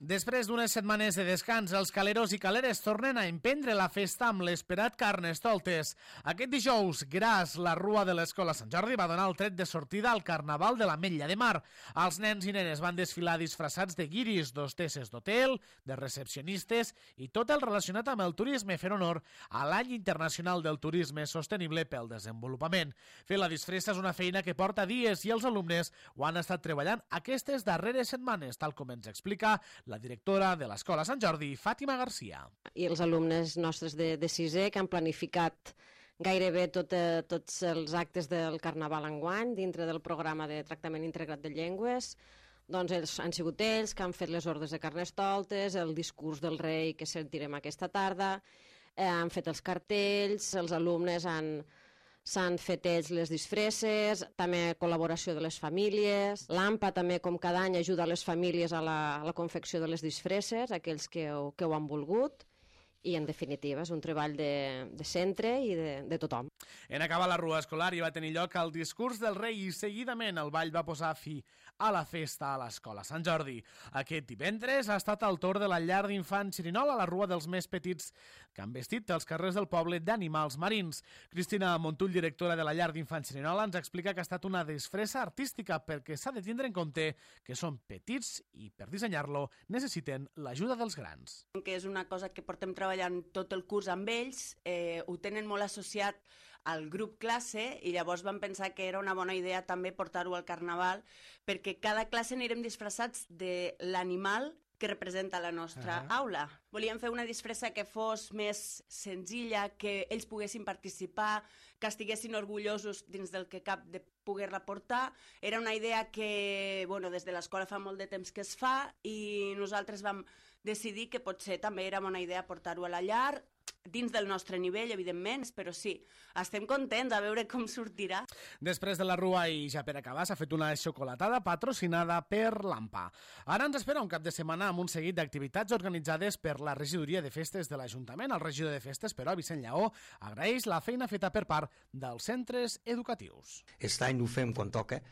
Després d'unes setmanes de descans, els caleros i caleres tornen a emprendre la festa amb l'esperat Carnestoltes. Aquest dijous, gras, la Rua de l'Escola Sant Jordi va donar el tret de sortida al Carnaval de l'Ametlla de Mar. Els nens i nenes van desfilar disfressats de guiris, d'hostesses d'hotel, de recepcionistes i tot el relacionat amb el turisme, fent honor a l'Any Internacional del Turisme Sostenible pel Desenvolupament. Fer la disfressa és una feina que porta dies i els alumnes ho han estat treballant aquestes darreres setmanes, tal com ens explica la directora de l'Escola Sant Jordi, Fàtima Garcia. I els alumnes nostres de sisè que han planificat gairebé tots els actes del Carnaval enguany dintre del programa de tractament integrat de llengües. Doncs han sigut ells que han fet les ordres de Carnestoltes, el discurs del rei que sentirem aquesta tarda, han fet els cartells, els alumnes s'han fet ells les disfresses, també col·laboració de les famílies. L'AMPA també, com cada any, ajuda les famílies a la confecció de les disfresses, aquells que ho han volgut. I, en definitiva, és un treball de centre i de tothom. En acabar la rua escolar hi va tenir lloc el discurs del rei i seguidament el ball va posar fi a la festa a l'Escola Sant Jordi. Aquest divendres ha estat el torn de la llar d'infants Xerinol a la rua dels més petits que han vestit els carrers del poble d'animals marins. Cristina Montull, directora de la llar d'infants Xerinol, ens explica que ha estat una disfressa artística perquè s'ha de tindre en compte que són petits i per dissenyar-lo necessiten l'ajuda dels grans. Que és una cosa que portem treballant tot el curs amb ells, ho tenen molt associat al grup classe i llavors vam pensar que era una bona idea també portar-ho al Carnaval perquè cada classe anirem disfressats de l'animal que representa la nostra aula. Volíem fer una disfressa que fos més senzilla, que ells poguessin participar, que estiguessin orgullosos dins del que cap de poder-la portar. Era una idea que des de l'escola fa molt de temps que es fa i nosaltres vam decidir que potser també era bona idea portar-ho a la llar, dins del nostre nivell, evidentment, però sí, estem contents a veure com sortirà. Després de la rua i ja per acabar s'ha fet una xocolatada patrocinada per l'AMPA. Ara ens espera un cap de setmana amb un seguit d'activitats organitzades per la regidoria de festes de l'Ajuntament. El regidor de festes, però, Vicent Lleó, agraeix la feina feta per part dels centres educatius. Aquest any ho fem quan toca.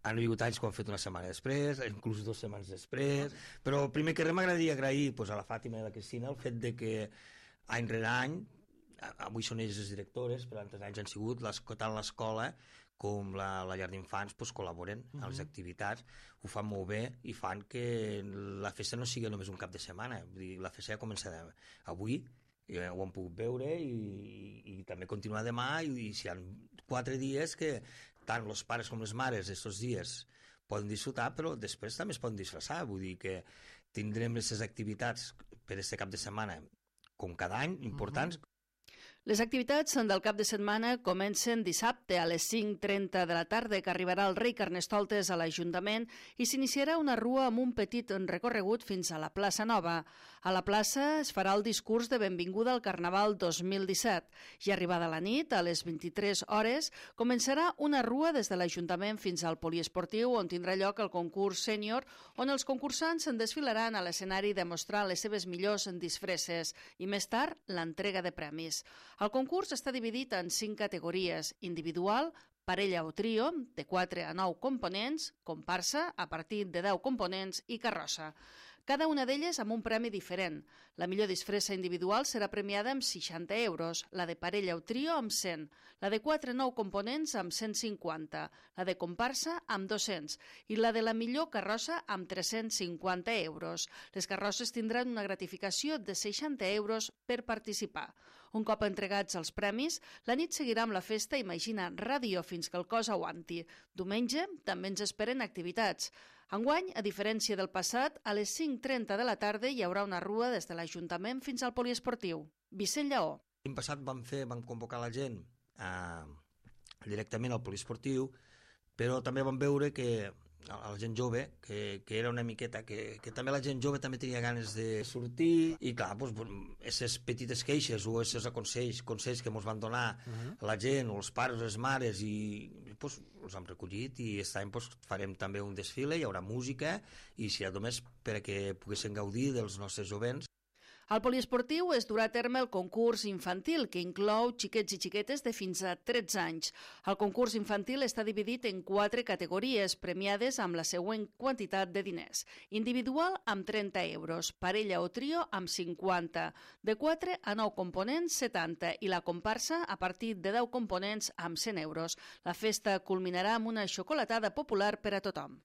Han vingut anys que ho han fet una setmana després, inclús 2 setmanes després, però el primer que m'agradaria agrair a la Fàtima i a la Cristina el fet de que any rere any, avui són ells les directores, però altres anys han sigut tant l'escola com la llar d'infants col·laboren a les activitats, ho fan molt bé i fan que la festa no sigui només un cap de setmana. Vull dir, la festa ja comença avui, ho han pogut veure i també continuar demà i si hi ha 4 dies que tant els pares com les mares aquests dies poden disfrutar, però després també es poden disfressar. Vull dir que tindrem aquestes activitats per aquest cap de setmana com cada any, importants. Les activitats del cap de setmana comencen dissabte a les 5:30 de la tarda, que arribarà el rei Carnestoltes a l'Ajuntament i s'iniciarà una rua amb un petit recorregut fins a la plaça Nova. A la plaça es farà el discurs de benvinguda al Carnaval 2017 i arribada la nit, a les 23 hores, començarà una rua des de l'Ajuntament fins al poliesportiu on tindrà lloc el concurs sènior, on els concursants en desfilaran a l'escenari demostrant les seves millors disfresses i més tard l'entrega de premis. El concurs està dividit en 5 categories: individual, parella o trio, de 4 a 9 components, comparsa, a partir de 10 components i carrossa. Cada una d'elles amb un premi diferent. La millor disfressa individual serà premiada amb 60 euros, la de parella o trio amb 100, la de 4 a 9 components amb 150, la de comparsa amb 200 i la de la millor carrossa amb 350 euros. Les carrosses tindran una gratificació de 60 euros per participar. Un cop entregats els premis, la nit seguirà amb la festa Imagina Ràdio fins que el cos aguanti. Diumenge també ens esperen activitats. Enguany, a diferència del passat, a les 5:30 de la tarda hi haurà una rua des de l'Ajuntament fins al poliesportiu. Vicent Lleó. L'any passat vam convocar la gent directament al poliesportiu, però també vam veure que a la gent jove, que era una miqueta, que també la gent jove també tenia ganes de sortir i clar, aquestes petites queixes o aquests consells que ens van donar la gent o els pares o les mares i els hem recollit i aquest any farem també un desfile, hi haurà música i serà només perquè poguessin gaudir dels nostres jovents. Al poliesportiu es durà a terme el concurs infantil, que inclou xiquets i xiquetes de fins a 13 anys. El concurs infantil està dividit en 4 categories, premiades amb la següent quantitat de diners. Individual amb 30 euros, parella o trio amb 50, de 4 a 9 components 70 i la comparsa a partir de 10 components amb 100 euros. La festa culminarà amb una xocolatada popular per a tothom.